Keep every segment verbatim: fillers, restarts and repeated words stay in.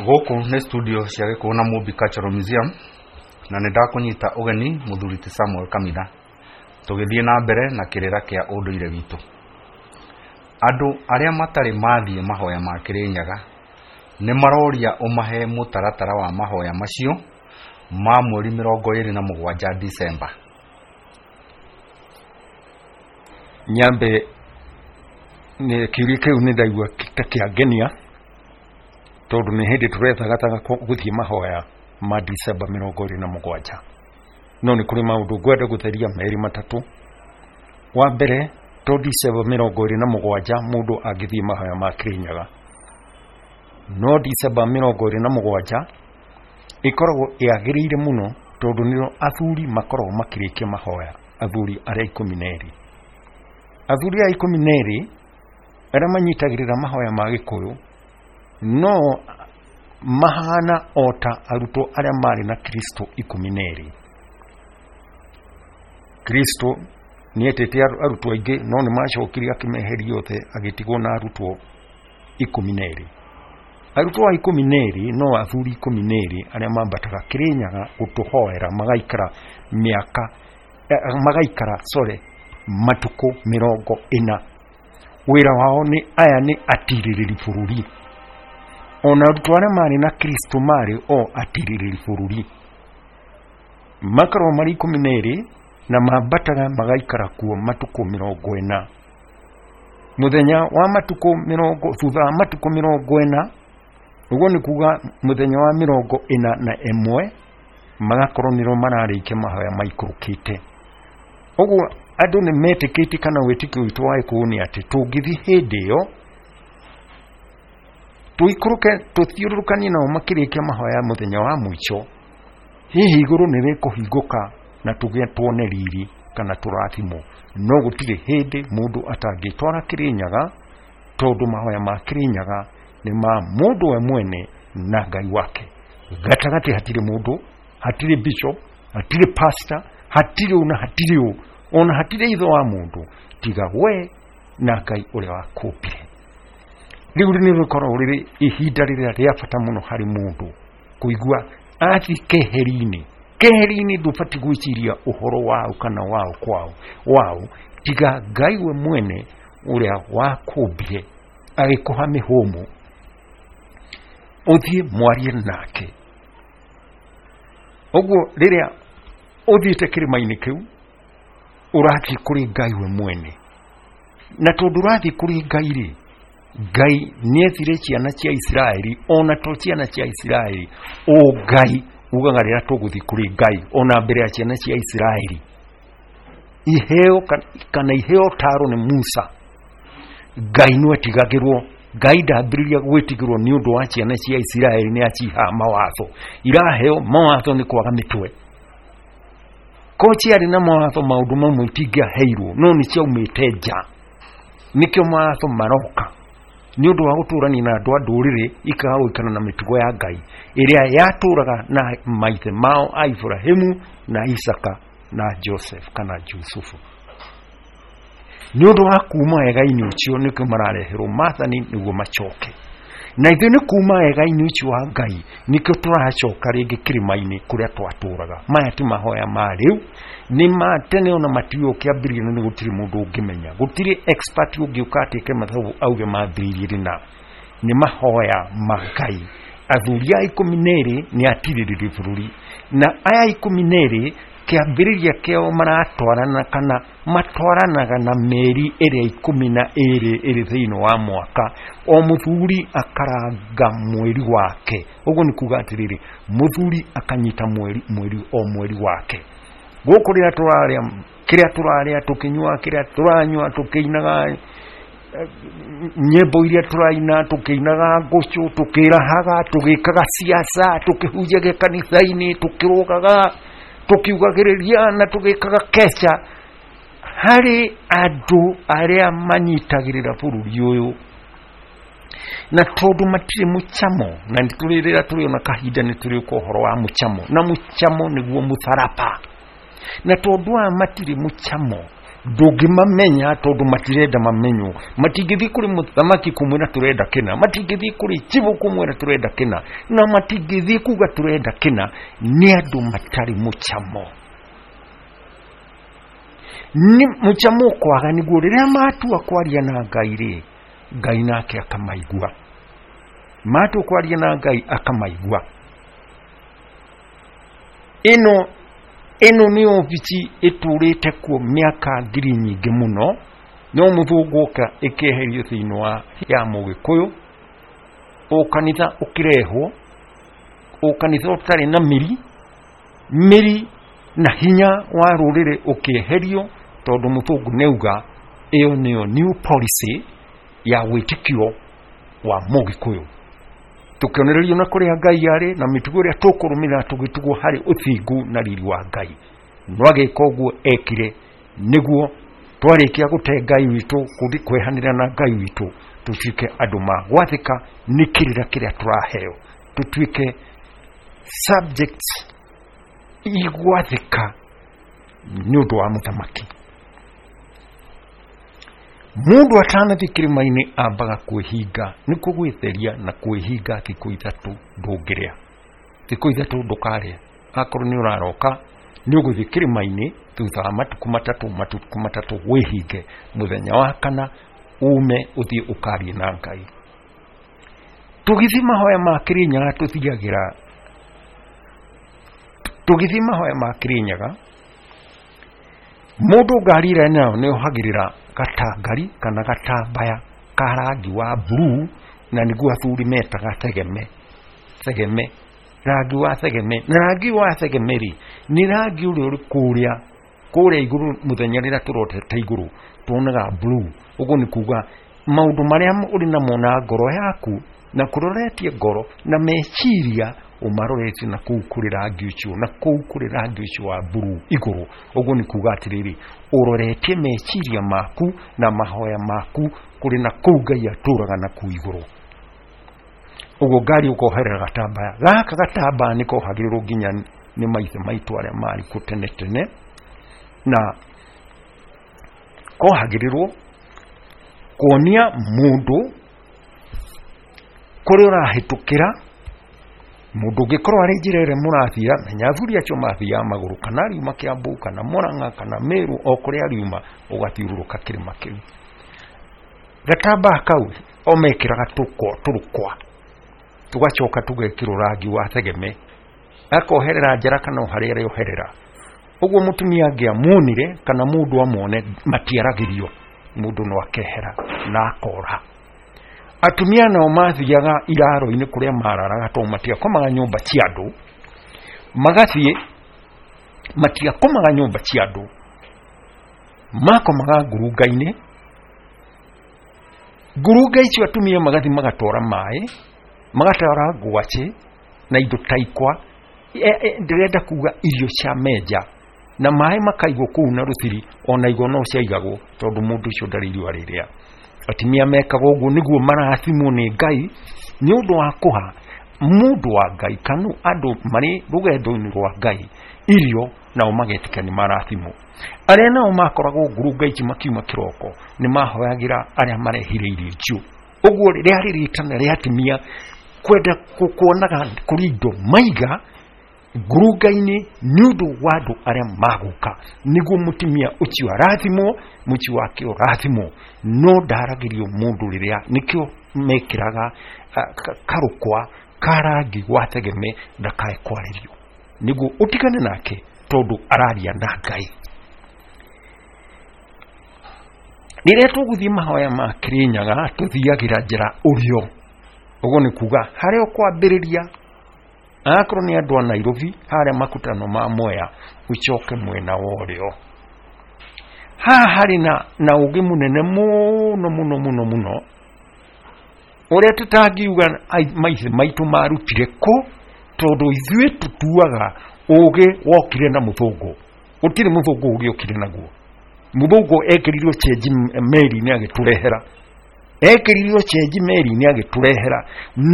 Gũkũ nĩ studio cia Gĩkũyũ na Mũmbi Cultural Museum, na nĩ ndakũnyita ũgeni mũthuri ti Samuel Kamitha, tũgĩthiĩ na mbere na kĩrĩra kĩa ũndũire witũ. Andũ arĩa matarĩ mathiĩ mahoya ma Kĩrĩnyaga nĩ maroria ũmahe mũtaratara wa mahoya macio ma mweri mĩrongo ĩrĩ na mũgwanja Disemba. Nyambe nĩ kĩũria kĩu nĩ ndaigua ta kĩangenia, tondũ nĩ hĩndĩ tũrethagathaga gũthiĩ mahoya ma Disemba mĩrongo ĩrĩ na mũgwanja. No nĩ kũrĩ maũndũ ngwenda gũtheria merĩ matatũ. Wa mbere, to Disemba mĩrongo ĩrĩ na mũgwanja mũndũ angĩthiĩ mahoya ma Kĩrĩnyaga, no Disemba mĩrongo ĩrĩ na mũgwanja ĩkoragwo yagĩrĩire mũno, tondũ nĩro athuri makoragwo makĩrĩkia mahoya, athuri arĩa ikũmi na erĩ. Athuri aya ikũmi na erĩ arĩa manyitagĩrĩra mahoya ma Gĩkũyũ no mahana o ta arutwo arĩa marĩ na Kristo ikũmi na erĩ. Kristo nĩetĩte arutwo aingĩ, no nĩ macokire akĩmeheria othe, agĩtigwo na arutwo ikũmi na erĩ. Arutwo a ikũmi na erĩ no athuri ikũmi na erĩ arĩa mambataga Kĩrĩnyaga gũtũhoera, magaikara mĩaka, magaikara sorry, matukũ mĩrongo ĩna. Wĩra wao nĩ aya nĩ atirĩrĩri bũrũri. Ona arutwo arĩa marĩ na Kristo marĩ o atirĩrĩri bũrũri, makoragwo marĩ ikũmi na erĩ na mambataga magaikara kuo matukũ mĩrongo ĩna. Mũthenya wa matukũ mĩrongo, thutha wa matukũ mĩrongo ĩna, ũguo nĩ kuga mũthenya wa mĩrongo ĩna na ĩmwe, magakorwo nĩro mararĩkia mahoya maikũrũkĩte. Ũguo andũ nĩ metĩkĩtie, kana wĩtĩkio witũ wa Gĩkũyũ nĩ atĩ tũngĩthiĩ hĩndĩ ĩyo tũikũrũke tũthiũrũrũkanie nao makĩrĩkia mahoya mũthenya wa mũico, hihi igũrũ nĩ rĩkũhingũka na tũgĩe tuone riri kana tũrathimwo. No gũtirĩ hĩndĩ mũndũ atangĩtwara Kĩrĩnyaga, tondũ mahoya ma Kĩrĩnyaga nĩ ma mũndũ we mwene na Ngai wake. Gatagatĩ hatirĩ mũndũ, hatirĩ bishop, hatirĩ pastor, hatirĩ ũ na hatirĩ ũ, ona hatirĩ ithe wa mũndũ tiga we na Ngai ũrĩa wakũmbire. Rĩu nĩ rĩkoragwo rĩrĩ ihinda rĩrĩa rĩa bata mũno harĩ mũndũ kũigua athiĩ keheri-inĩ. Keheri-inĩ ndũbatiĩ gwĩciria ũhoro wao kana wao kwao wao, tiga Ngai we mwene ũrĩa wakũmbire agĩkũha mĩhũmũ, ũthiĩ mwarie nake. Ũguo rĩrĩa ũthiĩte kĩrĩma-inĩ kĩu, ũrathiĩ kũrĩ Ngai we mwene. Na tondũ ũrathiĩ kũrĩ Ngai rĩ, Ngai nĩethire ciana cia Isiraeli, ona to ciana cia Isiraeli, o Ngai ugaga rĩrĩa tũgũthiĩ kũrĩ Ngai, ona mbere ya ciana cia Isiraeli iheo kana iheo taro nĩ Musa, Ngai nĩ etigagĩrwo. Ngai ndambĩrĩria gwĩtigĩrwo nĩ ũndũ wa ciana cia Isiraeli, nĩ aciha mawatho. Iraheo mawatho nĩ kwaga mĩtwe. Ko ciarĩ na mawatho, maũndũ mamwe itingĩaheirwo, no nĩ ciaumĩte nja. Nĩkĩo mawatho maroka nĩ ũndũ wa gũtũrania na andũ a ndũrĩrĩ, ikaga gũikara na mĩtugo ya Ngai ĩrĩa yatũraga na maithe mao a Ibrahimu na Isaka na Joseph kana Jusufu. Nĩ ũndũ wa kuma wega-inĩ ũcio nĩkĩo marareherwo maathani nĩguo macoke. Na ithuĩ nĩ kuma wega-inĩ ũcio wa Ngai nĩkĩo tũracoka rĩngĩ kĩrĩma-inĩ kũrĩa twatũraga. Maya ti mahoya ma rĩu, nĩ ma tene, ona matiũĩ kĩambĩrĩria, nĩ gũtirĩ mũndũ ũngĩmenya, gũtirĩ expert ũngĩũka atĩke mathabu auge mambĩrĩirie rĩ na. Nĩ mahoya ma Ngai. Athuri a ikũmi na erĩ nĩ atirĩrĩri bũrũri, na aya ikũmi na erĩ kĩambĩrĩria kĩao maratwarana kana matwaranaga na mĩeri ĩrĩa ikũmi na ĩrĩ ĩrĩ thĩinĩ wa mwaka. O mũthuri akaranga mweri wake. Ũguo nĩ kuga atĩrĩrĩ, mũthuri akanyita mweri mweri o mweri wake. Gũkũ rĩrĩa tũrarĩa kĩrĩa tũrarĩa tũkĩnyua, kĩrĩa tũranyua tũkĩinaga nyĩmbo iria tũraina, tũkĩinaga ngũcũ, tũkĩrahaga, tũgĩkaga siasa, tũkĩhunjagia kanitha-inĩ, tũkĩrũgaga, tũkiugagĩrĩria na tũgĩkaga keca, harĩ andũ arĩa manyitagĩrĩra bũrũri ũyũ. Na tondũ matirĩ mũcamo, na nĩ tũrĩ rĩrĩa tũrĩona kahinda nĩ tũrĩũka ũhoro wa mũcamo, na mũcamo nĩguo mũtharaba. Na tondũ aya matirĩ mũcamo, Ndũngĩmamenya tondũ matirenda mamenywo. Matingĩthiĩ kũrĩ mũthamaki kũmwĩra tũrenda kĩna, matingĩthiĩ kũrĩ chibũ kũmwĩra tũrenda kĩna, na matingĩthiĩ kuga tũrenda kĩna. Nĩ andũ matarĩ mũcamo. Nĩ mũcamo kwaga nĩguo rĩrĩa matua kwaria na Ngai rĩ, Ngai nake akamaigua. Matua kwaria na Ngai akamaigua. Ĩno ĩno nĩ obici ĩtũrĩte kuo mĩaka ngiri nyingĩ mũno, no mũthũngũ oka ĩkĩeherio thĩinĩ wa ya mũgĩkũyũ, ũkanitha ũkĩrehwo, ũkanitha ũtarĩ na mĩri, mĩri na hinya wa rũrĩrĩ ũkĩeherio, tondũ mũthũngũ nĩauga ĩyo nĩyo new policy ya wĩtĩkio wa mũgĩkũyũ. Tũkĩonererio na kũrĩa Ngai arĩ na mĩtugo ĩrĩa tũkũrũmĩrĩra tũgĩtugwo harĩ ũthingu na riri wa Ngai. No agĩka ũguo ekire nĩguo twarĩkia gũte Ngai witũ, kũthi kwehanĩra na Ngai witũ, tũtuĩke andũ ma gwathĩka nĩ kĩrĩra kĩrĩa tũraheo, tũtuĩke subjects igwathĩka nĩ ũndũ wa mũthamaki. Mũndũ atanathiĩ kĩrĩma-inĩ ambaga kwĩhinga, nĩkuo gwĩtheria na kwĩhinga thikũ ithatũ ndũngĩrĩa, thikũ ithatũ ndũkarĩa. Akorwo nĩ ũraroka nĩ ũgũthiĩ kĩrĩma-inĩ thutha wa matukũ matatũ, matukũ matatũ wĩhinge, mũthenya wa kana ume ũthiĩ ũkarie na Ngai. Tũgĩthiĩ mahoya ma Kĩrĩnyaga tũthiagĩra, tũgĩthiĩ mahoya ma Kĩrĩnyaga, mũndũ ngari ĩrĩa nayo nĩ ohagĩrĩra gatangari kana gatambaya ka rangi wa blue, na nĩguo athuri metaga thegeme. Thegeme, rangi wa thegeme. Na rangi wa thegeme rĩ, nĩ rangi ũrĩa ũrĩ kũrĩa kũrĩa igũrũ mũthenya rĩrĩa tũrotete igũrũ tuonaga blue. Ũguo nĩ kuga maũndũ marĩa ũrĩ namo na ngoro yaku na kũroretie ngoro na meciria ũmaroretie na kũu kũrĩ rangi ũcio, na kũu kũrĩ rangi ũcio wa blue igũrũ. Ũguo nĩ kuga atĩrĩrĩ, ũroretie meciria maku na mahoya maku kũrĩ na kũu Ngai atũraga na kũu igũrũ. Ũguo ngari ũkoherera gatambaya gaka, gatambaya nĩ kohagĩrĩrwo nginya nĩ maithe maitũ arĩa marĩ kuo tene tene, na kohagĩrĩrwo kuonia mũndũ kũrĩa ũrahĩtũkĩra. Mũndũ ũngĩkorwo arĩ njĩra ĩrĩa mũrathiĩ, menya athuri acio mathiaga magũrũ, kana riuma Kĩambu kana Mũrang'a kana Meru, o kũrĩa riuma ũgathiũrũrũka kĩrĩma kĩu. Gatambaya kau o mekĩraga tũrũkwa, tũgacoka tũgekĩrwo rangi wa thegeme, akoherera njara kana o harĩa arĩoherera. Ũguo mũtumia angĩamuonire kana mũndũ amwone, matiaragĩrio, mũndũ no akehera na akora. Atumia nao mathiaga iraro-inĩ kũrĩa mararaga, tondũ matiakomaga nyũmba cia andũ, magathiĩ, matiakomaga nyũmba cia andũ, makomaga ngurunga-inĩ. Ngurunga icio atumia magathiĩ magatwara maĩ, magatwara ngwacĩ na indo ta ikwa, ndĩrenda kuga irio cia menja, na maĩ makaigwo kũu na rũthiri, ona igo no ciaigagwo tondũ mũndũ ũcio ndarĩ irio arĩrĩa. Atumia mekaga ũguo nĩguo marathimwo nĩ Ngai nĩ ũndũ wa kũha mũndũ wa Ngai kana andũ marĩ rũgendo-inĩ rwa Ngai irio, nao magetĩka nĩ marathimwo. Arĩa nao makoragwo ngurunga ici makiuma kĩroko nĩ mahoyagĩra arĩa marehire irio icio. Ũguo rĩarĩ rĩtana rĩa atumia kwenda kuonaga kũrĩ indo maiga ngurunga-inĩ nĩ ũndũ wa andũ arĩa magũka, nĩguo mũtumia ũcio arathimwo, mũciĩ wake ũrathimwo. No ndaragĩrio mũndũ rĩrĩa, nĩkĩo mekĩraga karũkwa ka rangi wa thegeme ndakae kwarĩrio, nĩguo ũtigane nake tondũ araria na Ngai. Rĩrĩa tũgũthiĩ mahoya ma Kĩrĩnyaga tũthiagĩra njĩra ũrĩo. Ũguo nĩ kuga harĩa ũkwambĩrĩria, akorwo nĩ andũ a Nairobi harĩa makutano ma Mwea, ũcoke mwena wa ũrĩo. Haha harĩ na na ũgĩ mũnene mũno mũno mũno mũno, ũrĩa tũtangiuga maithe maitũ marutire kũ, tondũ ithuĩ tũtuaga ũgĩ wokire na mũthũngũ. Gũtirĩ mũthũngũ ũgĩ okire naguo. Mũthũngũ ekĩrirwo chenji meri-inĩ agĩtũrehera, ekĩrirwo chenji meri-inĩ agĩtũrehera,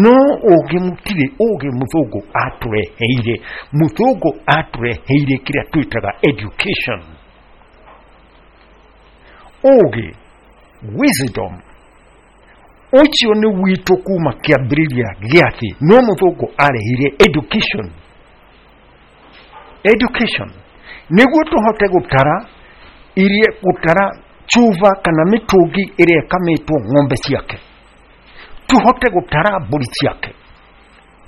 no ũgĩ mũtirĩ ũgĩ mũthũngũ atũreheire. Mũthũngũ atũreheire kĩrĩa twĩtaga education. Ũũgĩ, wisdom, ũcio nĩ witũ kuma kĩambĩrĩria gĩa thĩ. No mũthũngũ arehire education. Education nĩguo tũhote gũtara iria, gũtara cuba kana mĩtũngi ĩrĩa ĩkamĩtwo ng'ombe ciake, tũhote gũtara mbũri ciake.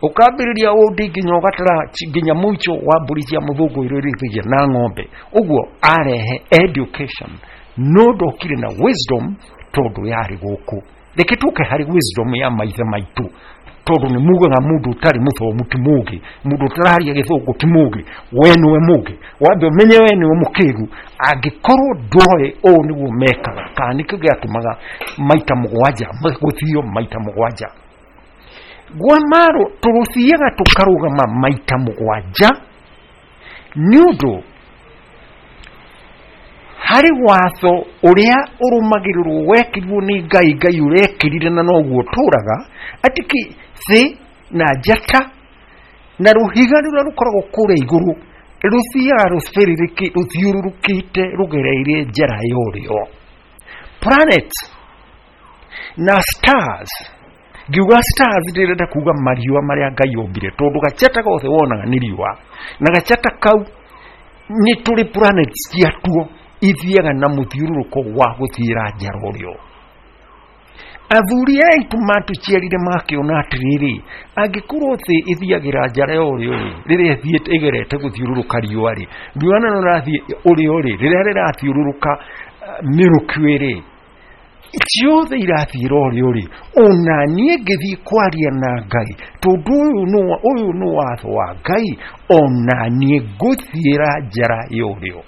Ũkambĩrĩria ũndi nginya ũgatara nginya mũico wa mbũri cia mũthũngũ iria irĩithagia na ng'ombe. Ũguo arehe education, no ndokire na wisdom tondũ yarĩ gũkũ. Reke tũke harĩ wisdom ya maithe maitũ, tondũ nĩ mugaga mũndũ ũtarĩ mũthomu ti mũũgĩ, mũndũ ũtararia gĩthũngũ ti mũũgĩ. We nĩwe mũũgĩ, wambe ũmenye we nĩwe mũkĩgu. Angĩkorwo ndoĩ ũũ nĩguo mekaga, kana nĩkĩo gĩatũmaga maita mũgwanja gũthio maita mũgwanja gwa maro, tũrũthiaga tũkarũgama maita mũgwanja nĩ ũndũ harĩ watho ũrĩa ũrũmagĩrĩrwo wekĩrirwo nĩ Ngai. Ngai ũrekĩrire na noguo ũtũraga, atĩ kĩ thĩ na njata na rũhiga rũrĩa rũkoragwo kũrĩa igũrũ rũthiaga rũthiũrũrũkĩte rũgereire njĩra ya ũrĩo. Planet na stars, ngiuga stars ndĩrenda kuga mariũa marĩa Ngai ombire, tondũ gachata gothe wonaga nĩ riũa, na gachata kau nĩ tũrĩ planets ciatuo ithiaga na mũthiũrũrũko wa gũthiĩra njara ũrĩo. Athuri aitũ matũciarire makĩona atĩrĩrĩ, angĩkorwo thĩ ĩthiagĩra njara ya ũrĩo rĩ, rĩrĩa ĩthiĩte ĩgerete gũthiũrũrũka riũa rĩ, riũa narĩo rĩrathiĩ ũrĩo rĩ, rĩrĩa rĩrathiũrũrũka Milky Way rĩ, ciothe irathiĩra ũrĩo rĩ, ona niĩ ngĩthiĩ kwaria na Ngai, tondũ ũyũ nĩ ũyũ nĩ watho wa Ngai, ona niĩ ngũthiĩra njara ya ũrĩo.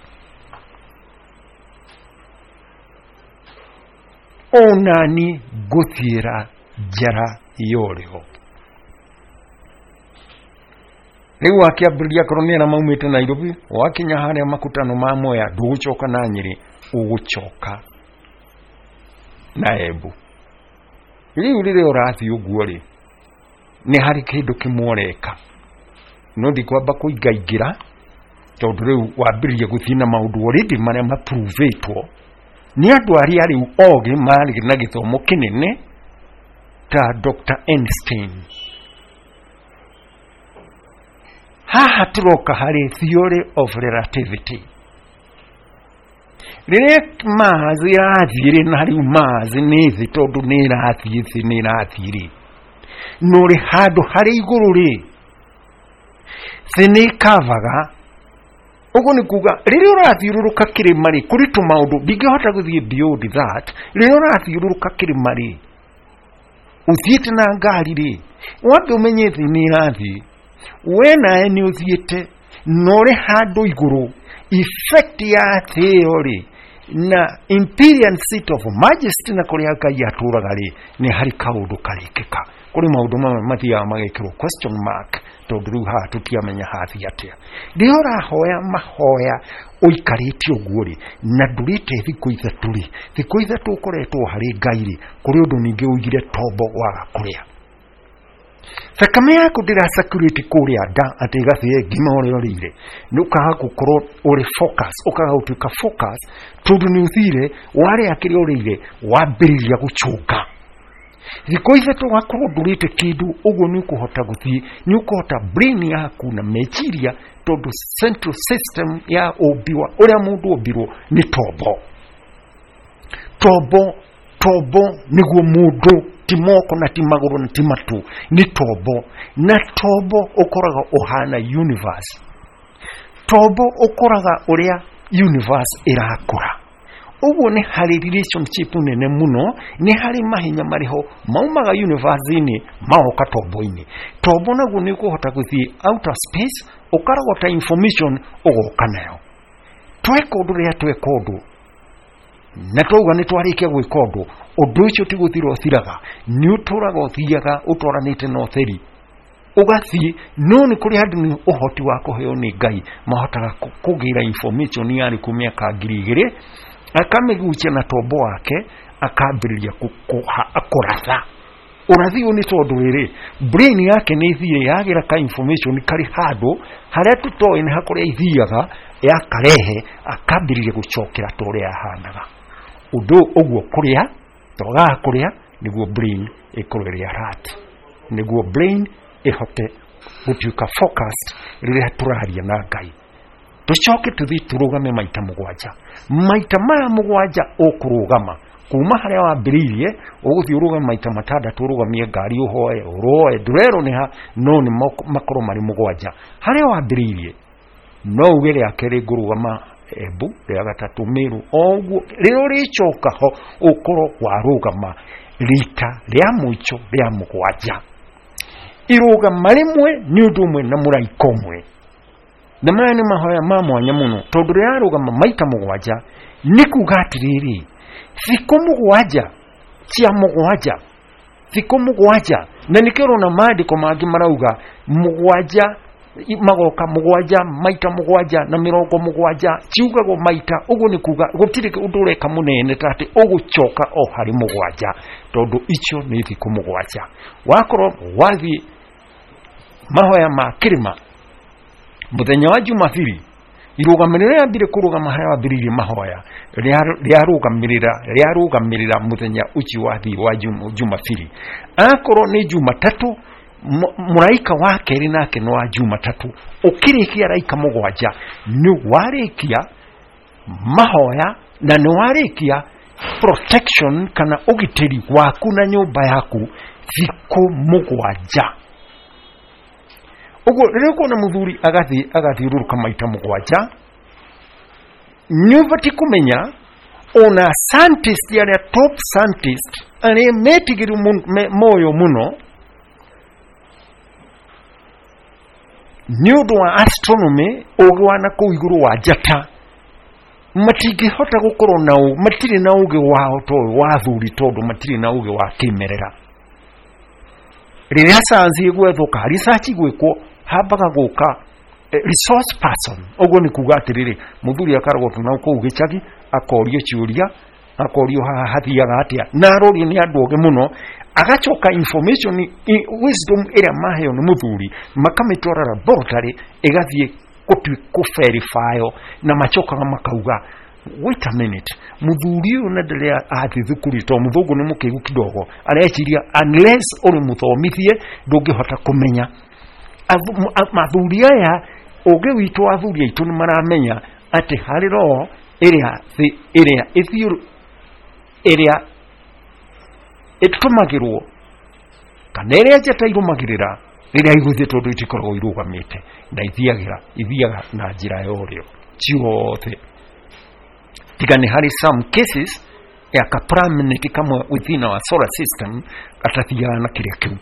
Ona niĩ ngũthiĩra njara ya ũrĩo. Rĩu wakĩambĩrĩria akorwo nĩ arĩa maumĩte Nairobi, wakinya harĩa makutano ma Mwea, ndũgũcoka na Nyĩrĩ, ũgũcoka na Embu. Rĩu rĩrĩa ũrathiĩ ũguo rĩ, nĩ harĩ kĩndũ kĩmwe ũreka, no ndikwamba kũingaingĩra tondũ rĩu wambĩrĩria gũthiĩ na maũndũ already marĩa mapruvĩtwo nĩ andũ arĩa rĩu ogĩ marĩ na gĩthomo kĩnene ta Doctor Einstein. Haha tũroka harĩ theory of relativity. Rĩrĩa Mars ĩrathiĩ rĩ, na rĩu Mars nĩ thĩ tondũ nĩ ĩrathiĩ thĩ nĩ ĩrathiĩ rĩ, no rĩ handũ harĩ igũrũ rĩ, thĩ nĩ ĩkavaga. Ũguo nĩ kuga rĩrĩa ũrathiũrũrũka kĩrĩma rĩ, kũrĩ tũmaũndũ ndingĩhota gũthiĩ beyond that. Rĩrĩa ũrathiũrũrũka kĩrĩma rĩ, ũthiĩte na ngari rĩ, wambe ũmenye thĩ nĩ ĩrathiĩ, we nawe nĩ ũthiĩte, na ũrĩ handũ igũrũ, effect ya thĩ ĩyo rĩ, na imperial seat of majesty na kũrĩa Ngai atũraga rĩ, nĩ harĩ kaũndũ karĩkĩka. Kũrĩ maũndũ mamwe mathiaga magekĩrwo question mark, tondũ rĩu haha tũtiamenya hathiĩ atĩa. Rĩrĩa ũrahoya mahoya ũikarĩte ũguo rĩ, na ndũrĩte thikũ ithatũ rĩ, thikũ ithatũ ũkoretwo harĩ Ngai rĩ, kũrĩ ũndũ ningĩ ũigire tombo waga kũrĩa. Thakame yaku ndĩra circulate kũrĩa nda atĩ ĩgathĩe ngima ũrĩa ũrĩire, nĩ ũkaga gũkorwo ũrĩ focus, ũkaga gũtuĩka focus, tondũ nĩ ũthire warĩa kĩrĩa ũrĩire wambĩrĩria gũcũnga. Thikũ ithatũ wakorwo ndũrĩte kĩndũ, ũguo nĩ ũkũhota gũthiĩ, nĩ ũkũhota brain yaku na meciria, tondũ central system ya ũmbi wa ũrĩa mũndũ ombirwo nĩ tombo. Tombo, tombo nĩguo mũndũ, ti moko na ti magũrũ na ti matũ, nĩ tombo. Na tombo ũkoraga ũhana universe. Tombo ũkoraga ũrĩa universe ĩrakũra. Ũguo nĩ harĩ relationship nene mũno, nĩ harĩ mahinya marĩ ho maumaga universe-inĩ magoka tombo-inĩ. Tombo naguo nĩ ũkũhota gũthiĩ outer space, ũkarogota information ũgoka nayo. Tweka ũndũ rĩrĩa tweka ũndũ, na twauga nĩ twarĩkia gwĩka ũndũ, ũndũ ũcio ti gũthira ũthiraga, nĩ ũtũraga ũthiaga ũtwaranĩte na ũtheri, ũgathiĩ. No nĩ kũrĩ andũ nĩ ũhoti wa kũheo nĩ Ngai mahotaga kũgĩra information yarĩ kũ mĩaka ngiri igĩrĩ, akamĩgucia na tombo wake, akambĩrĩria kũratha. Ũrathi ũyũ nĩ tondũ rĩrĩ, brain yake nĩ ĩthire yagĩra ka information karĩ handũ harĩa tũtoĩ nĩ hakũrĩa ithiaga, yakarehe, akambĩrĩria gũcokera ta ũrĩa yahanaga. Ũndũ ũguo kũrĩa twagaga kũrĩa nĩguo brain ĩkorwo ĩrĩ alert, nĩguo brain ĩhote gũtuĩka focused rĩrĩa tũraria na Ngai. Tũcoke tũthiĩ tũrũgame maita mũgwanja. Maita maya mũgwanja ũkũrũgama kuma harĩa wambĩrĩirie, ũgũthiĩ ũrũgame maita matandatũ, ũrũgamie ngari, ũhoe, ũroe, ndũrerwo nĩ ha, no nĩ makorwo marĩ mũgwanja. Harĩa wambĩrĩirie no uge rĩa kerĩ ngũrũgama Embu, rĩa gatatũ Meru, o ũguo rĩrĩa ũrĩcoka ho ũkorwo warũgama rita rĩa mũico rĩa mũgwanja. Irũgama rĩmwe nĩ ũndũ ũmwe na mũraika ũmwe. Na maya nĩ mahoya ma mwanya mũno, tondũ rĩrarũgama maita mũgwanja nĩ kuga atĩrĩrĩ, thikũ mũgwanja cia mũgwanja, thikũ mũgwanja, na nĩkĩo ũrona maandĩko mangĩ marauga mũgwanja magoka mũgwanja maita mũgwanja na mĩrongo mũgwanja, ciugagwo maita. Ũguo nĩ kuga gũtirĩ ũndũ ũreka mũnene ta atĩ ũgũcoka o harĩ mũgwanja, tondũ icio nĩ thikũ mũgwanja. Wakorwo wathiĩ mahoya ma kĩrĩma mũthenya wa Jumapili, irũgamĩrĩra rĩambire kũrũgama harĩa wambĩrĩirie mahoya, rĩarũgamĩrĩra rĩarũgamĩrĩra mũthenya ũcio wathiĩ wa Jumapili. Akorwo nĩ Jumatatũ, mũraika wa kerĩ nake nĩ wa Jumatatũ. Ũkĩrĩkia araika mũgwanja nĩ warĩkia mahoya na nĩ warĩkia protection kana ũgitĩri waku na nyũmba yaku thikũ mũgwanja. Ũguo rĩrĩa ũkuona mũthuri agathiĩ agathiũrũrũka maita mũgwanja, nĩ ũbatiĩ kũmenya ona scientist arĩa top scientist arĩa metigĩru moyo mũno nĩ ũndũ wa astronomy, ũgĩ wa nakũu igũrũ wa njata, matingĩhota gũkorwo na matirĩ na ũgĩ wao to wa athuri, tondũ matirĩ na ũgĩ wa kĩmerera. Rĩrĩa science ĩgwethwo ka research ĩgwĩkwo, hambaga gũka resource person. Ũguo nĩ kuga atĩrĩrĩ, mũthuri akarogotwo na kũu gĩcagi, akorio ciũria, akorio haha hathiaga atĩa, na arorio nĩ andũ ogĩ mũno, agacoka information wisdom ĩrĩa maheo nĩ mũthuri makamĩtwara laboratory ĩgathiĩ kũ verify, na macokaga makauga wait a minute, mũthuri ũyũ na ndĩrĩa athiĩ thukuru, tondũ mũthũngũ nĩ mũkĩgu kidogo, areciria unless ũrĩ mũthomithie ndũngĩhota kũmenya. Athuri aya ũgĩ witũ, athuri aitũ nĩ maramenya atĩ harĩ roho ĩrĩa ĩrĩa ĩrĩa ĩtũmagĩrwo kana ĩrĩa njata irũmagĩrĩra rĩrĩa igũthiĩ, tondũ itikoragwo irũgamĩte na ithiagĩra ithiaga na njĩra ya ũrĩo ciothe, tiga nĩ harĩ some cases ya ka planet kamwe within our solar system gatathiaga na kĩrĩa kĩu,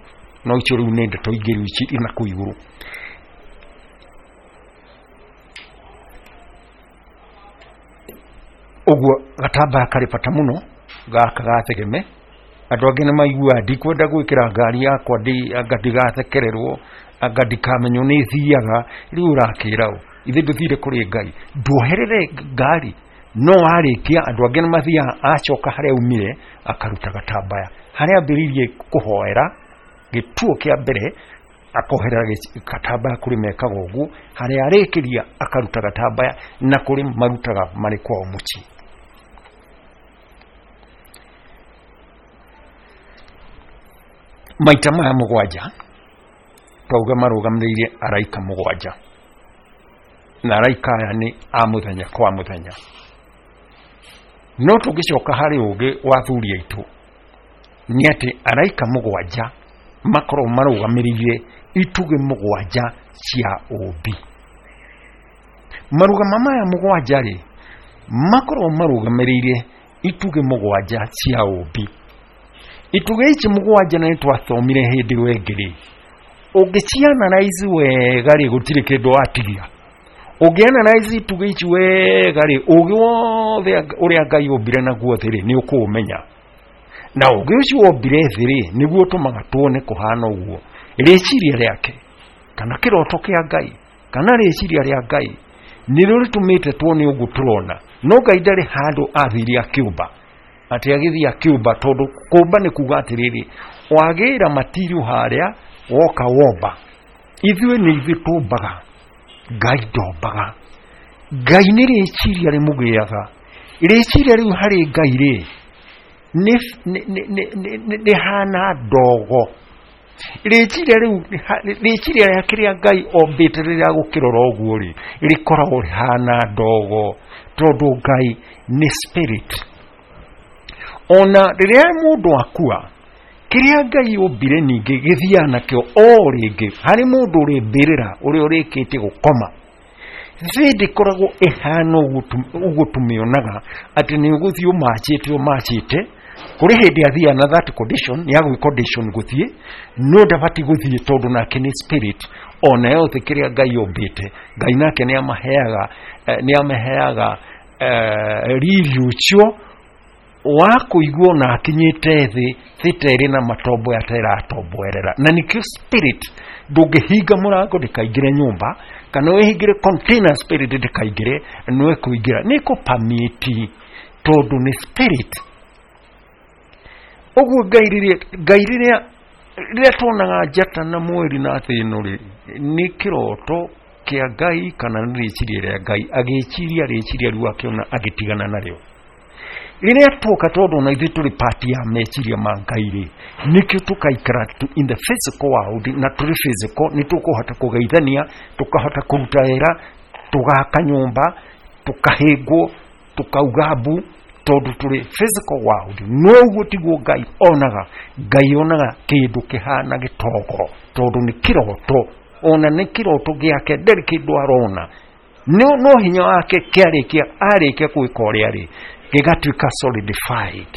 no icio rĩu nĩ ndeto ingĩ rĩu ici ina kũu igũrũ. Ũguo gatambaya karĩ bata mũno gaka gathegeme. Andũ angĩ nĩ maiguaga ndikwenda gwĩkĩra ngari yakwa anga ndigathekererwo, anga ndikamenywo nĩ thiaga. Rĩu ũrakĩra ũ, ithe ndũthire kũrĩ Ngai, nduoherere ngari. No warĩkia, andũ angĩ nĩ mathiaga, acoka harĩa aumire akaruta gatambaya harĩa ambĩrĩirie kũhoera gĩtuo kĩa mbere, akoherera gatambaya kũrĩ mekaga ũguo, harĩa arĩkĩria akaruta gatambaya, na kũrĩ marutaga marĩ kwao mũciĩ. Maita maya mũgwanja twauga marũgamĩrĩire araika mũgwanja, na araika aya nĩ a mũthenya kwa mũthenya. No tũngĩcoka harĩ ũgĩ wa athuri aitũ nĩ atĩ araika mũgwanja makorwo marũgamĩrĩire itugĩ mũgwanja cia ũũmbi. Marũgama maya mũgwanja rĩ, makorwo marũgamĩrĩire itugĩ mũgwanja cia ũũmbi. Itugĩ ici mũgwanja na nĩtwathomire hĩndĩ ĩyo ĩngĩ rĩ, ũngĩcianalyze wega rĩ, gũtirĩ kĩndũ watigia. Ũngĩanalyze itugĩ ici wega rĩ, ũgĩ wothe ũrĩa Ngai ombire naguo thĩ rĩ, nĩ ũkũũmenya. Na ũgĩ ũcio wombire thĩ rĩ, nĩguo ũtũmaga tuone kũhana ũguo. Rĩciria rĩake kana kĩroto kĩa Ngai kana rĩciria rĩa Ngai nĩrĩo rĩtũmĩte tuone ũguo tũrona. No Ngai ndarĩ handũ athire akĩũmba, atĩ agĩthiĩ akĩũmba, tondũ kũmba nĩ kuga atĩrĩrĩ, wagĩra matirio harĩa woka womba. Ithuĩ nĩ ithuĩ tũmbaga, Ngai ndombaga. Ngai nĩ rĩciria rĩmũgĩaga, Rĩciria rĩu harĩ Ngai rĩ nĩ rĩhana ndogo. Rĩciria rĩu rĩciria rĩa kĩrĩa Ngai ombĩte rĩrĩa gũkĩrora ũguo rĩ rĩkoragwo rĩhana ndogo, tondũ Ngai nĩ spirit. Ona rĩrĩa mũndũ akua, kĩrĩa Ngai ombire ningĩ gĩthiaga nakĩo o rĩngĩ harĩ mũndũ ũrĩ mbĩrĩra ũrĩa ũrĩkĩtie gũkoma. Thĩ ndĩkoragwo ĩhana ũguo tũmĩonaga atĩ nĩ ũgũthiĩ ũmachĩte ũmachĩte. Kũrĩ hĩndĩ athiaga na that condition ya gwĩ condition gũthiĩ, no ndabatiĩ gũthiĩ tondũ nake nĩ spirit. Ona yothe kĩrĩa Ngai ombĩte, Ngai nake nĩ amaheaga nĩ amaheaga riri ũcio wa kũiguo na akinyĩte thĩ, thĩ ta ĩrĩ na matombo ya ta ĩratomboerera. Na nĩkĩo spirit ndũngĩhinga mũrango ndĩkaingĩre nyũmba, kana wĩhingĩre container spirit ndĩkaingĩre, no ĩkũingĩra nĩ ĩkũpamĩti tondũ nĩ spirit. Ũguo Ngai rĩrĩa Ngai rĩrĩa rĩrĩa tuonaga njata na mweri na thĩ ĩno rĩ, nĩ kĩroto kĩa Ngai kana nĩ rĩciria rĩa Ngai, agĩciria rĩciria rĩu akĩona agĩtigana narĩo. Rĩrĩa tuoka tondũ ona ithuĩ tũrĩ part ya meciria ma Ngai rĩ, nĩkĩo tũkaikara in the physical world, na tũrĩ physical nĩ tũkũhota kũgeithania, tũkahota kũruta wĩra, tũgaka nyũmba, tũkahĩngwo, tũkauga mbu, tondũ tũrĩ physical world. No ũguo tiguo Ngai onaga. Ngai onaga kĩndũ kĩhana gĩtongo tondũ nĩ kĩroto, ona nĩ kĩroto gĩake, ndarĩ kĩndũ arona, no no hinya wake kĩarĩkia arĩkia gwĩka ũrĩa rĩ gĩgatuĩka solidified.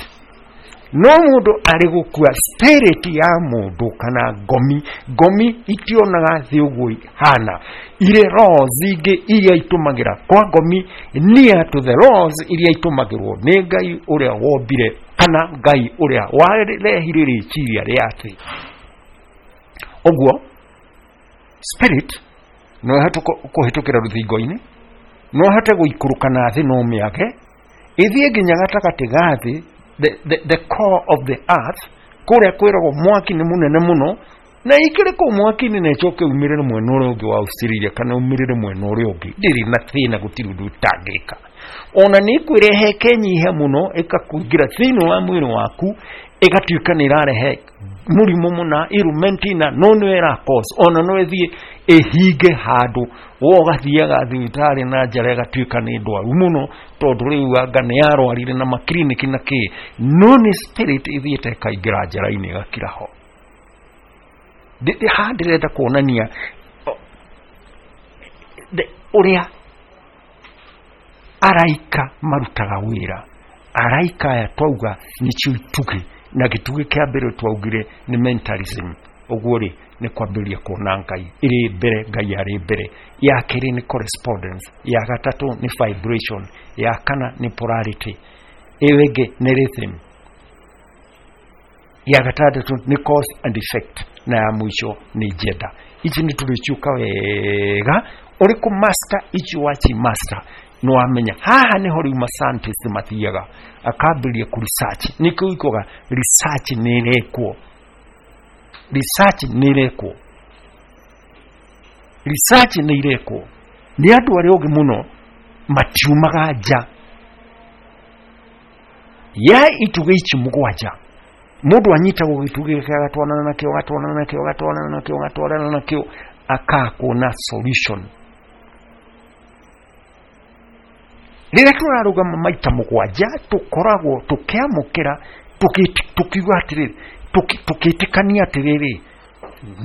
No mũndũ arĩ gũkua, spirit ya mũndũ kana ngomi, ngomi itionaga thĩ ũguo ihana, irĩ laws ingĩ iria itũmagĩra kwa ngomi near to the laws iria itũmagĩrwo nĩ Ngai ũrĩa wombire kana Ngai ũrĩa warehire rĩciria rĩa thĩ. Ũguo spirit no ĩhote kũhĩtũkĩra rũthingo-inĩ, no ĩhote gũikũrũka na thĩ no mĩage ĩthiĩ nginya gatagatĩ ga thĩ, the, the, the core of the earth, kũrĩa kwĩragwo mwaki nĩ mũnene mũno, na ikĩrĩ kũu mwaki-inĩ na ĩcoke umĩrĩre mwena ũrĩa ũngĩ wa Australia kana umĩrĩre mwena ũrĩa ũngĩ, ndĩrĩ na thĩna, gũtirĩ ũndũ ĩtangĩka. Ona nĩ ĩkwĩrehe ĩkenyiha mũno ĩkakũingĩra thĩinĩ wa mwĩrĩ waku, ĩgatuĩka nĩ ĩrarehe mũrimũ mũna ailment na no nĩyo ĩra cause. Ona no ĩthiĩ ĩhinge handũ wo ũgathiaga thibitarĩ na njara ĩgatuĩka nĩ ndwaru mũno, tondũ rĩu anga nĩ yarwarire na makiriniki na kĩ, no nĩ spirit ĩthiĩte ĩkaingĩra njara-inĩ ĩgakira ho. Haha ndĩrenda kuonania ũrĩa araika marutaga wĩra. Araika aya twauga nĩcio itugĩ, na gĩtugĩ kĩa mbere twaugire nĩ mentalism. Ũguo rĩ nĩ kwambĩrĩria kuona Ngai ĩrĩ mbere, Ngai arĩ mbere. Ya kerĩ nĩ correspondence, ya gatatũ nĩ vibration, ya kana nĩ polarity, ĩyo ĩngĩ nĩ rhythm, ya gatandatũ nĩ cause and effect, na ya mũico nĩ gender. Ici nĩ tũrĩciũka wega, ũrĩ kũ master ici waci master no wamenya. Haha nĩho rĩu ma scientist mathiaga akambĩrĩria kũ research. Nĩkĩo ikoga research nĩ ĩrekwo, research nĩ ĩrekwo, research nĩ irekwo nĩ andũ arĩa ogĩ mũno, matiumaga nja ya itugĩ ici mũgwanja. Mũndũ anyitagwo gĩtugĩ gĩake agatwarana nakĩo, agatwarana nakĩo, agatwarana nakĩo, agatwarana nakĩo, akakuona solution. Rĩrĩa tũrarũgama maita mũgwanja tũkoragwo tũkĩamũkĩra, tũkiuga atĩrĩrĩ, tũkĩtĩkania atĩrĩrĩ,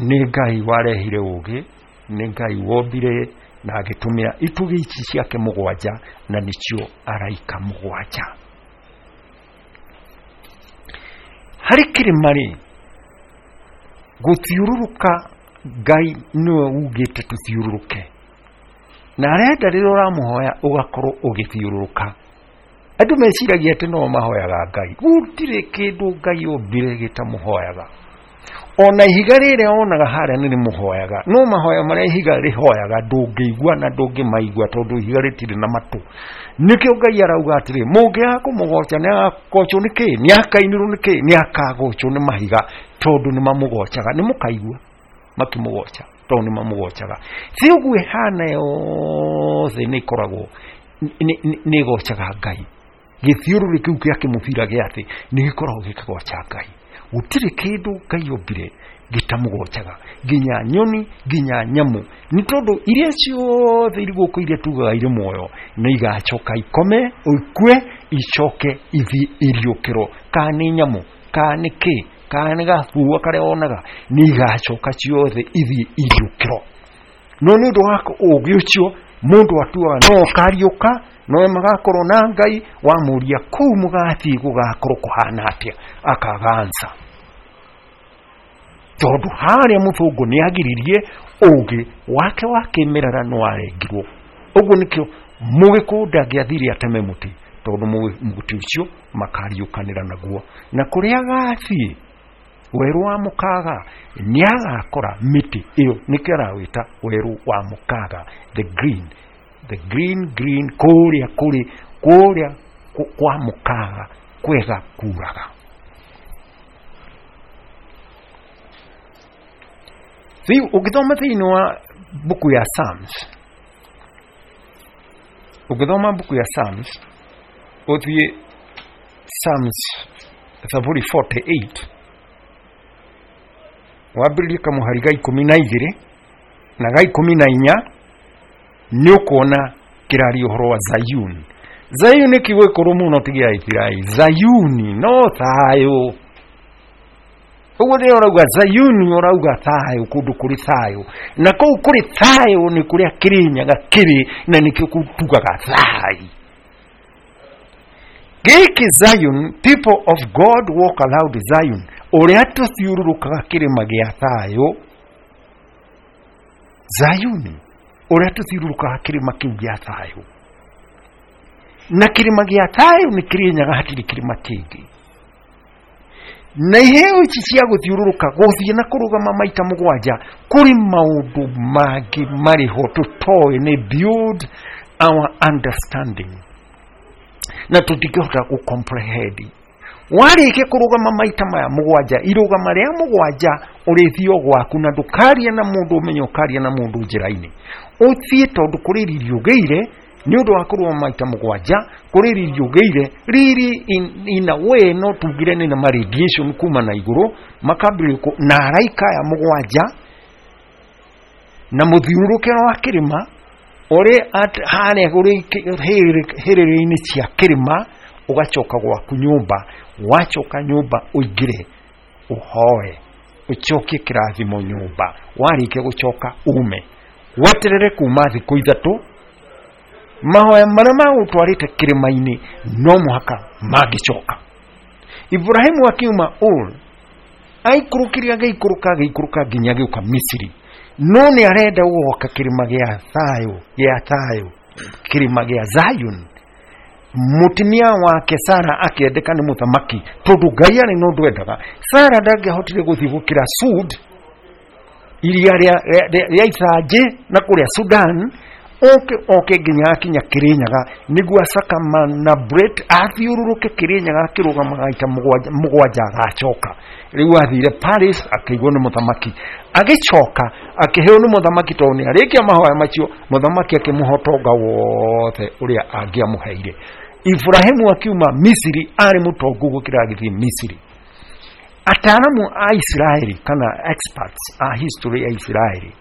nĩ Ngai warehire ũgĩ, nĩ Ngai wombire na agĩtũmĩra itugĩ ici ciake mũgwanja, na nĩcio araika mũgwanja. Harĩ kĩrĩma rĩ, gũthiũrũrũka Ngai nĩwe ugĩte tũthiũrũrũke, na arenda rĩrĩa ũramũhoya ũgakorwo ũgĩthiũrũrũka. Andũ meciragia atĩ no mahoyaga Ngai, gũtirĩ kĩndũ Ngai ombire gĩtamũhoyaga. Ona ihiga rĩrĩa wonaga harĩa nĩ rĩmũhoyaga, no mahoya marĩa ihiga rĩhoyaga ndũngĩigua na ndũngĩmaigua tondũ ihiga rĩtirĩ na matũ. Nĩkĩo Ngai arauga atĩrĩ, mũngĩaga kũmũgoca nĩ agagocwo nĩ kĩ? Nĩ akainĩrwo nĩ kĩ? Nĩ akagocwo nĩ mahiga, tondũ nĩ mamũgocaga. Nĩ mũkaigua makĩmũgoca tondũ nĩ mamũgocaga. Thĩ ũguo ĩhana yothe nĩ ĩkoragwo nĩ ĩgocaga Ngai. Gĩthiũrũrĩ kĩu kĩa kĩmũbira gĩa thĩ nĩ gĩkoragwo gĩkĩgoca Ngai. Gũtirĩ kĩndũ Ngai ombire gĩtamũgocaga, nginya nyoni, nginya nyamũ, nĩ tondũ iria ciothe irĩ gũkũ iria tugaga irĩ muoyo nĩ igacoka ikome, ikue, icoke ithiĩ iriũkĩrwo. Kana nĩ nyamũ, kana nĩ kĩ, kana nĩ gabua karĩa wonaga, nĩ igacoka ciothe ithiĩ iriũkĩrwo. No nĩ ũndũ wa ũũgĩ ũcio mũndũ atuaga no ũkariũka, no magakorwo na Ngai, wamũria kũu mũgathiĩ gũgakorwo kũhana atĩa, akaga answer. Tondũ harĩa mũthũngũ nĩ agiririe ũũgĩ wake wa kĩmerera nĩ warengirwo. Ũguo nĩkĩo mũgĩkũyũ ndangĩathire ateme mũtĩ, tondũ mũtĩ ũcio makariũkanĩra naguo. Na kũrĩa agathiĩ werũ wa mũkaga nĩ agakora mĩtĩ ĩyo, nĩkĩo arawĩta werũ wa mũkaga, the green, the green green, kũrĩa kũrĩ kũrĩa kwa mũkaga kwega kuraga. Rĩu ũngĩthoma thĩinĩ wa buku ya Psalms, ũngĩthoma buku ya Psalms, ũthiĩ Psalms Thaburi forty-eight, wambĩrĩrie kamũhari ga ikũmi na igĩrĩ na ga ikũmi na inya, nĩ ũkuona kĩraria ũhoro wa Zayuni. Zayuni kiugo gĩkũrũ mũno ti gĩa Isiraeli. Zayuni no thayũ. Ũguo nĩ ũrauga Zayuni, ũrauga thayũ, kũndũ kũrĩ thayũ. Na kũu kũrĩ thayũ nĩ kũrĩa Kĩrĩnyaga kĩrĩ, na nĩkĩo tugaga thayũ. Gĩkĩ Zion, people of God walk aloud Zion, ũrĩa tũthiũrũrũkaga kĩrĩma gĩa thayũ. Zayuni, ũrĩa tũthiũrũrũkaga kĩrĩma kĩu gĩa thayũ. Na kĩrĩma gĩa thayũ nĩ Kĩrĩnyaga, hatirĩ kĩrĩma kĩngĩ. Na iheo ici cia gũthiũrũrũka, gũthiĩ na kũrũgama maita mũgwanja, kũrĩ maũndũ mangĩ marĩ ho tũtoĩ, nĩ build our understanding, na tũtingĩhota gũ comprehend. Warĩkia kũrũgama maita maya mũgwanja, irũgama rĩa mũgwanja ũrĩthiĩ o gwaku, na ndũkaria na mũndũ ũmenye ũkaria na mũndũ njĩra-inĩ. Ũthiĩ tondũ kũrĩ riri ũgĩire nĩ ũndũ wa kũrũgama maita mũgwanja, kũrĩ riri ũgĩire, riri in, in a way no tugire nĩ na radiation kuma na igũrũ, makambĩrĩria na araika aya mũgwanja na mũthiũrũrũkĩro wa kĩrĩma ũrĩ harĩa hĩrĩrĩ-inĩ cia kĩrĩma, ũgacoka gwaku nyũmba. Wacoka nyũmba ũingĩre ũhoe, ũcokie kĩrathimo nyũmba. Warĩkia gũcoka ume, weterere kuma thikũ ithatũ, mahoya marĩa magũtwarĩte kĩrĩma-inĩ no mũhaka mangĩcoka. Ibrahimu akiuma Ur, aikũrũkire agĩikũrũka agĩikũrũka nginya agĩũka Misiri. No nĩ arenda gũgoka kĩrĩma gĩa thayũ, gĩa thayũ, kĩrĩma gĩa Zion. Mũtumia wake Sara akĩendeka nĩ mũthamaki, tondũ Ngai arĩ na ũndũ endaga. Sara ndangĩahotire gũthiĩ gũkĩra Sud, iria rĩa ithanjĩ na kũrĩa Sudan, oke oke nginya akinya Kĩrĩnyaga, nĩguo acakama na Bret athiũrũrũke Kĩrĩnyaga akĩrũgamaga maita mũgwanja agacoka. Rĩu athire Paris akĩigwo nĩ mũthamaki, agĩcoka akĩheo nĩ mũthamaki, tondũ nĩ arĩkia mahoya macio, mũthamaki akĩmũhe ũtonga wothe ũrĩa angĩamũheire. Ibrahimu akiuma Misiri arĩ mũtongu gũkĩra agĩthiĩ Misiri. Ataaramu a Isiraeli kana experts a history ya Isiraeli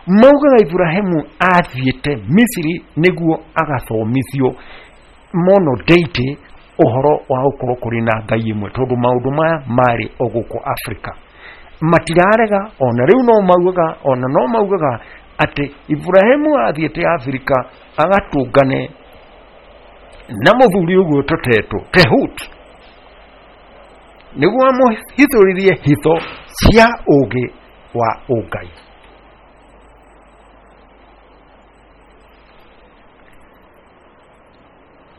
maugaga Ibrahimu athiĩte Misiri nĩguo agathomithio mono deity ũhoro wa gũkorwo kũrĩ na Ngai ĩmwe, tondũ maũndũ maya marĩ o gũkũ Afrika. Matirarega, ona rĩu no maugaga, ona no maugaga atĩ Ibrahimu athiĩte Afrika agatũngane na mũthuri ũguo tũtetwo Tehut, nĩguo amũhithũrĩrie hitho cia ũũgĩ wa ũngai.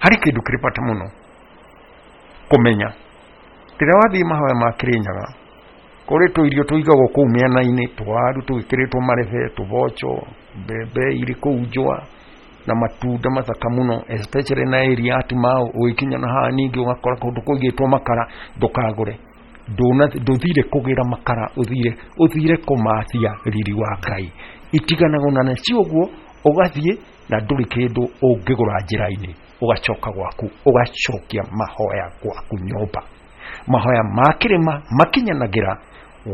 Harĩ kĩndũ kĩrĩ bata mũno kũmenya. Rĩrĩa wathiĩ mahoya ma Kĩrĩnyaga, kũrĩ tũirio tũigagwo kũu mĩena-inĩ, tũwaru tũgĩkĩrĩtwo marebe, tũboco, mbembe irĩ kũu njũa, na matunda mathaka mũno, especially na area ya Timau. Ũgĩkinya na haha ningĩ ũgakora kũndũ kũigĩtwo makara, ndũkagũre. Ndũthire kũgĩra makara, ũthire ũthire kũmathia riri wa Ngai. Itiganagwo na nacio ũguo, ũgathiĩ na ndũrĩ kĩndũ ũngĩgũra njĩra-inĩ. Ũgacoka gwaku, ũgacokia mahoya gwaku nyũmba. Mahoya ma kĩrĩma makinyanagĩra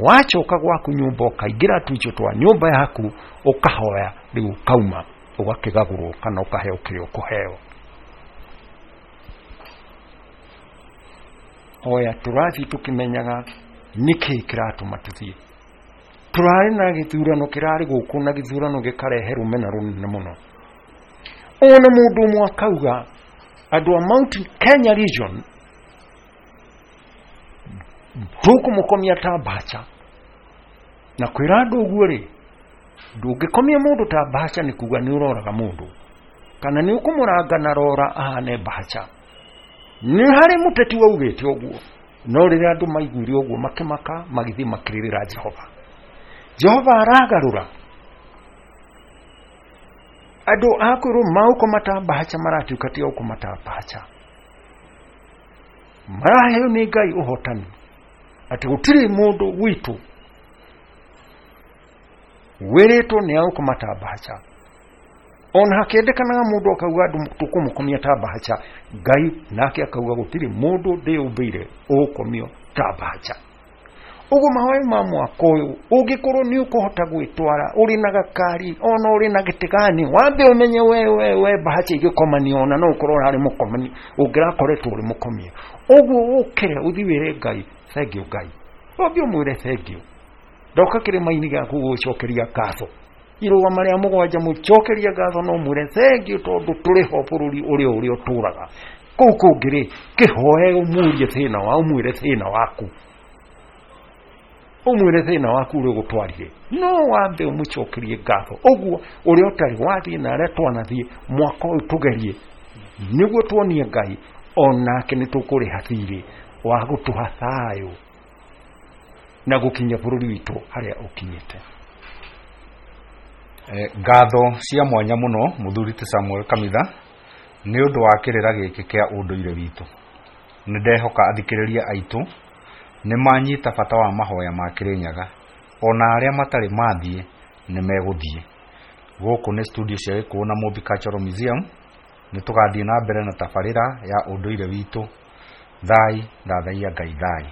wacoka gwaku nyũmba, ũkaingĩra tuicio twa nyũmba yaku, ũkahoya, rĩu ũkauma ũgakĩgagũrwo kana ũkaheo kĩrĩa ũkũheo. Hoya tũrathiĩ tũkĩmenyaga nĩkĩĩ kĩratũma tũthiĩ. Tũrarĩ na gĩthurano kĩrarĩ gũkũ, na gĩthurano gĩkarehe rũmena rũnene mũno. Ona mũndũ ũmwe akauga andũ a Mount Kenya region tũkũmũkomia ta mbacha. Na kwĩra andũ ũguo rĩ, ndũngĩkomia mũndũ ta mbacha nĩ kuga nĩ ũroraga mũndũ, kana nĩ ũkũmũranga na rora ahane mbacha. Nĩ harĩ mũteti waugĩte ũguo, no rĩrĩa andũ maiguire ũguo makĩmaka, magĩthiĩ makĩrĩrĩra Jehova. Jehova aragarũra andũ a kwĩrwo maũkoma ta mbacha maratuĩka ti aũkoma ta mbacha. Maraheo nĩ Ngai ũhotani atĩ gũtirĩ mũndũ witũ wĩrĩtwo nĩ aũkoma ta mbacha. Ona hakĩendekanaga mũndũ akauga andũ tũkũmũkomia ta mbacha, Ngai nake akauga gũtirĩ mũndũ ndĩũmbĩire ũgũkomio ta mbacha. Ũguo mahoya ma mwaka ũyũ ũngĩkorwo nĩ ũkũhota gwĩtwara ũrĩ na gakari ona ũrĩ na gĩtigani, wambe ũmenye we we we mbacha igĩkomanio, ona no ũkorwo ũrarĩ mũkomani ũngĩrakoretwo ũrĩ mũkomie. Ũguo ũkĩre ũthiĩ wĩre Ngai thengiũ, Ngai wambe ũmwĩre thengiũ. Ndoka kĩrĩma-inĩ gĩaku gũgũcokeria ngatho, irũgama rĩa mũgwanja mũcokerie ngatho, no mwĩre thengiũ tondũ tũrĩ ho bũrũri ũrĩa ũrĩa ũtũraga. Kũu kũngĩ rĩ, kĩhoe ũmũrie thĩna wa ũmwĩre thĩna waku, ũmwĩre thĩna waku ũrĩa ũgũtwarire, no wambe ũmũcokerie ngatho. Ũguo ũrĩa ũtarĩ wathiĩ na arĩa twanathiĩ mwaka ũyũ tũgerie nĩguo tuonie Ngai onake nĩ tũkũrĩha thirĩ wa gũtũha thayũ na gũkinya bũrũri witũ harĩa ũkinyĩte. Eh, ngatho cia mwanya mũno mũthuri ti Samuel Kamitha nĩ ũndũ wa kĩrĩra gĩkĩ kĩa ũndũire witũ. Nĩ ndehoka athikĩrĩria aitũ nĩ manyita bata wa mahoya ma Kĩrĩnyaga, ona arĩa matarĩ mathiĩ nĩ megũthiĩ. Gũkũ nĩ studio cia Gĩkũyũ na Mũmbi Cultural Museum. Nĩ tũgathiĩ na mbere na tabarĩra ya ũndũire witũ. Thai, thathaiya Ngai thai.